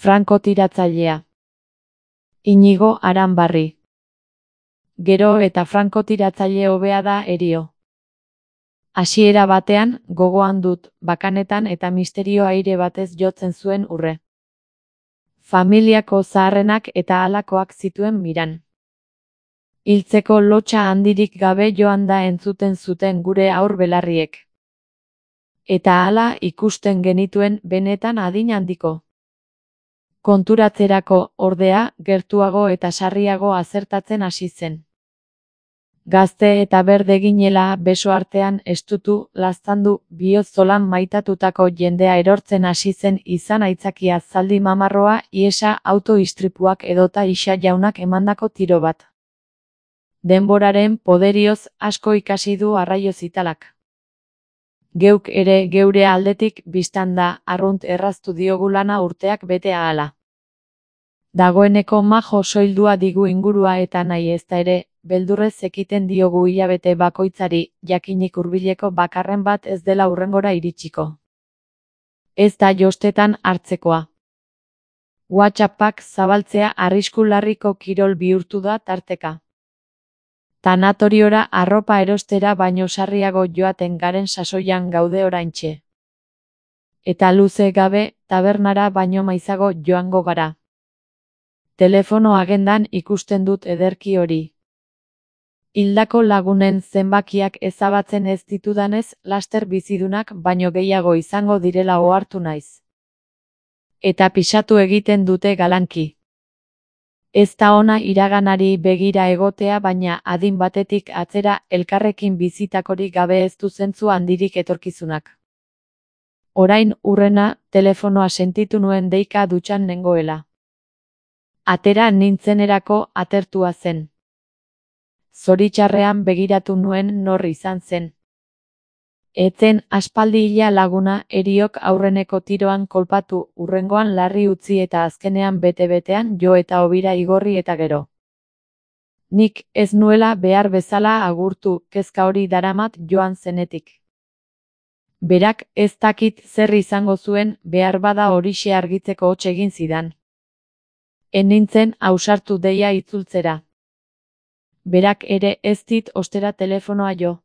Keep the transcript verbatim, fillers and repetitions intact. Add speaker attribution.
Speaker 1: Frankotiratzailea. Inigo Aranbarri. Gero eta frankotiratzaile hobea da Herio. Hasiera batean, gogoan dut, bakanetan eta misterio aire batez jotzen zuen urre. Familiako zaharrenak eta halakoak zituen miran. Hiltzeko lotsa handirik gabe joan da entzuten zuten gure haur belarriek. Eta hala ikusten genituen benetan adin handiko. Konturatzerako, ordea, gertuago eta sarriago azertatzen hasi zen. Gazte eta berde ginela beso artean estutu, laztandu, bihotz zolan maitatutako jendea erortzen hasi zen izan aitzakia zaldi mamarroa, ihesa, auto-istripuak edota Ixa jaunak emandako tiro bat. Denboraren poderioz asko ikasi du arraio zitalak. Geuk ere geure aldetik bistan da arrunt erraztu diogu lana urteak bete ahala. Dagoeneko majo soildua digu ingurua eta nahi ezta ere, beldurrez ekiten diogu hilabete bakoitzari, jakinik hurbileko bakarren bat ez dela hurrengora iritsiko. Ez da jostetan hartzekoa. WhatsAppak zabaltzea arrisku larriko kirol bihurtu da tarteka. Tanatoriora arropa erostera baino sarriago joaten garen sasoian gaude oraintxe. Eta luze gabe, tabernara baino maizago joango gara. Telefono agendan ikusten dut ederki hori. Hildako lagunen zenbakiak ezabatzen ez ditudanez, laster bizidunak baino gehiago izango direla ohartu naiz. Eta pisatu egiten dute galanki. Ez da ona iraganari begira egotea baina adin batetik atzera elkarrekin bizitakorik gabe ez du zentzu handirik etorkizunak. Orain urrena, telefonoa sentitu nuen deika dutxan nengoela. Atera nintzenerako atertua zen. Zoritxarrean begiratu nuen nor izan zen. Etzen aspaldi hila laguna Heriok aurreneko tiroan kolpatu, urrengoan larri utzi eta azkenean bete-betean jo eta hobira igorri eta gero. Nik ez nuela behar bezala agurtu, kezka hori daramat joan zenetik. Berak ez dakit zer izango zuen, behar bada horixe argitzeko hots egin zidan. En nintzen ausartu deia itzultzera. Berak ere ez dit ostera telefonoa jo.